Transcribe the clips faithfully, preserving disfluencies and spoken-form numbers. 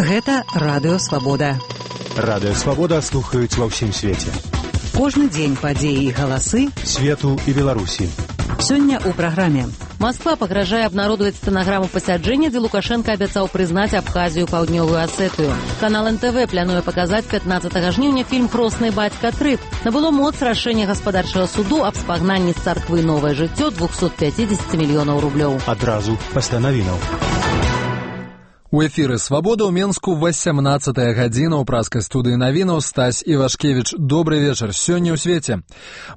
Гэта Радыё Свабода. Радыё Свабода слухаюць ва ўсім свеце. Кожны дзень падзеі і галасы свету і Беларусі. Сёння ў праграме. Москва пагражае абнародаваць стэнаграму пасяджэння, дзе Лукашенко абяцаў прызнаць Абхазію, Паўднёвую Асетыю. Канал эн тэ вэ плануе паказаць пятнаццатага жніўня фільм «Хросны бацька тры». Набыло моц рашэнне гаспадарчага суду аб спагнанні з царквы «Новае жыццё» двухсот пятьдесят мільёнаў рублёў. Адразу пасля навінаў. У эфіры «Свабода» ў Менску васямнаццатая гадзіна ў праскай студыі навінаў Стась Івашкевіч. Добры вечар. Сёння ў свеце.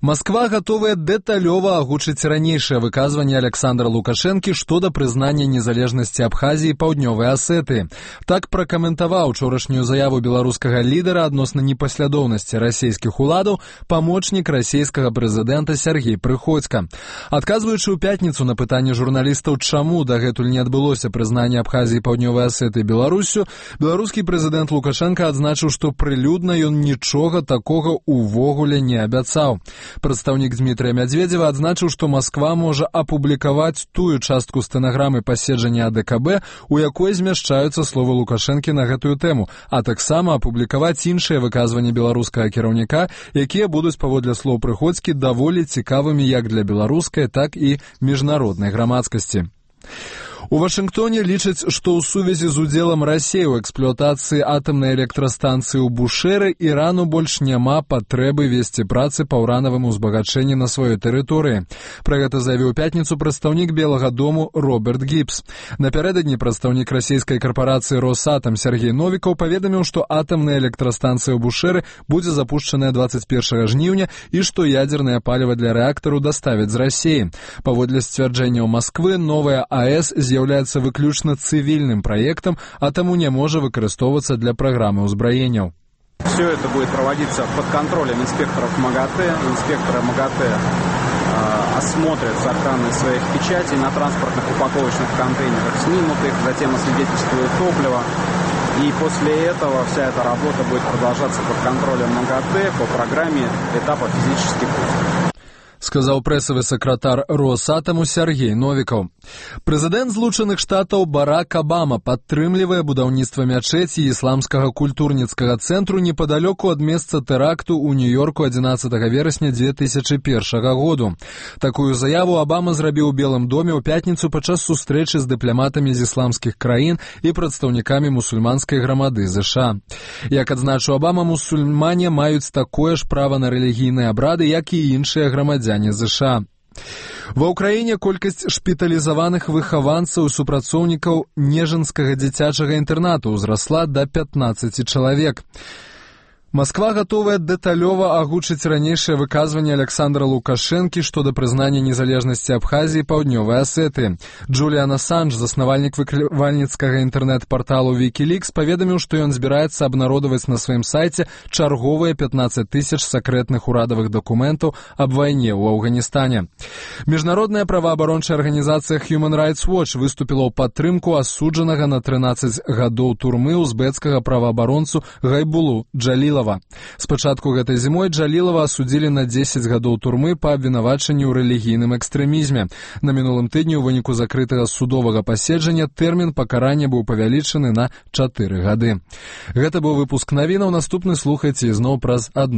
Масква гатовая дэталёва агучыць ранейшае выказванне Александра Лукашэнкі што да прызнання незалежнасці Абхазіі і Паўднёвай Асетыі. Так пракаментаваў учорашнюю заяву беларускага лідара адносна непаслядоўнасці расійскіх уладаў памочнік расійскага прэзідэнта Сергей Прыходзька. Адказваючы ў пятніцу на пытанне журналістаў, чаму дагэтуль не адбылося прызнанне Абхазіі і Паўднёвай Асеты Беларусю, беларускі прэзідэнт Лукашенко адзначыў, што прылюдна ён нічога такога увогуле не абяцаў. Прадстаўнік Дмітрия Мядзведзева адзначыў, што Масква можа апублікаваць тую частку стэнаграмы паседжання а дэ ка бэ, у якой змяшчаюцца словы Лукашэнкі на гэтую тэму, а таксама апублікаваць іншыя выказванні беларускага кіраўніка, якія будуць, паводле слоў Прыходзькі, даволі цікавымі як для беларускай, так і міжнароднай грамадскасці. У Вашынгтоне лічаць, што ў сувязі з удзелам Расіі ў эксплуатацыі атамнай электрастанцыі ў Бушэры Ірану больш няма патрэбы весці працы па ўранавым узбагачэнні на сваёй тэрыторыі. Пра гэта заявіў у пятніцу прадстаўнік Белага дому Роберт Гібс. Напярэдадні прадстаўнік расійскай карпорацыі «Росатам» Сергей Новікаў паведаміў, што атамная электрастанцыя ў Бушэры будзе запушчаная дваццаць першага жніўня і што ядзернае паліва для рэактару даставяць з Расіі. Паводле сцвярджэнняў Масквы, новая а э эс з'яўляецца выключна цывільным праектам, а таму не можа выкарыстоўвацца для праграмы ўзбраенняў. Все это будет проводиться под контролем инспекторов МАГАТЭ. Инспекторы МАГАТЭ э, осмотрят сохранность своих печатей на транспортных упаковочных контейнерах, снимут их, затем освидетельствуют топливо. И после этого вся эта работа будет продолжаться под контролем МАГАТЭ по программе этапа физический пуск. Сказаў прэсавы сакратар Росатаму Сергей Новікаў. Прэзідэнт Злучаных Штатаў Барак Абама падтрымлівае будаўніцтва мячэці і ісламскага культурніцкага цэнтру непадалёку ад месца тэракту ў Нью-Йорку адзінаццатага верасня дзве тысячы першага году. Такую заяву Абама зрабіў у Белым доме ў пятніцу падчас сустрэчы з дыпламатамі з ісламскіх краін і прадстаўнікамі мусульманскай грамады ЗША. Як адзначыў Абама, мусульмане маюць такое ж права на рэлігійныя абрады, як і іншыя грамадзяне ЗША. Ва ўкраіне колькасць шпіталізаваных выхаванцаў і супрацоўнікаў Нежынскага дзіцячага інтэрнату ўзрасла да пятнаццаці чалавек. Масква гатовая дэталёва агучыць ранейшае выказванне Александра Лукашэнкі што да прызнання незалежнасці Абхазіі і Паўднёвай Асетыі. Джуліан Асанж, заснавальнік выклівальніцкага інтэрнэт-парталу Wikileaks, паведаміў, што ён збіраецца абнародаваць на сваім сайце чарговыя пятнаццаць тысяч сакрэтных урадавых дакументаў аб вайне ў Афганістане. Міжнародная праваабарончая арганізацыя Human Rights Watch выступіла ў падтрымку асуджанага на трынаццаць гадоў турмы узбекскага праваабаронцу Гайбулу Джалілава. Спачатку гэтай зімой Джалілава асудзілі на дзесяць гадоў турмы па абвінавачанні ў рэлігійным экстрэмізме. На мінулым тыдні ў выніку закрытага судовага паседжання тэрмін пакарання быў павялічаны на чатыры гады. Гэта быў выпуск навінаў. Наступны слухайце ізноў праз адну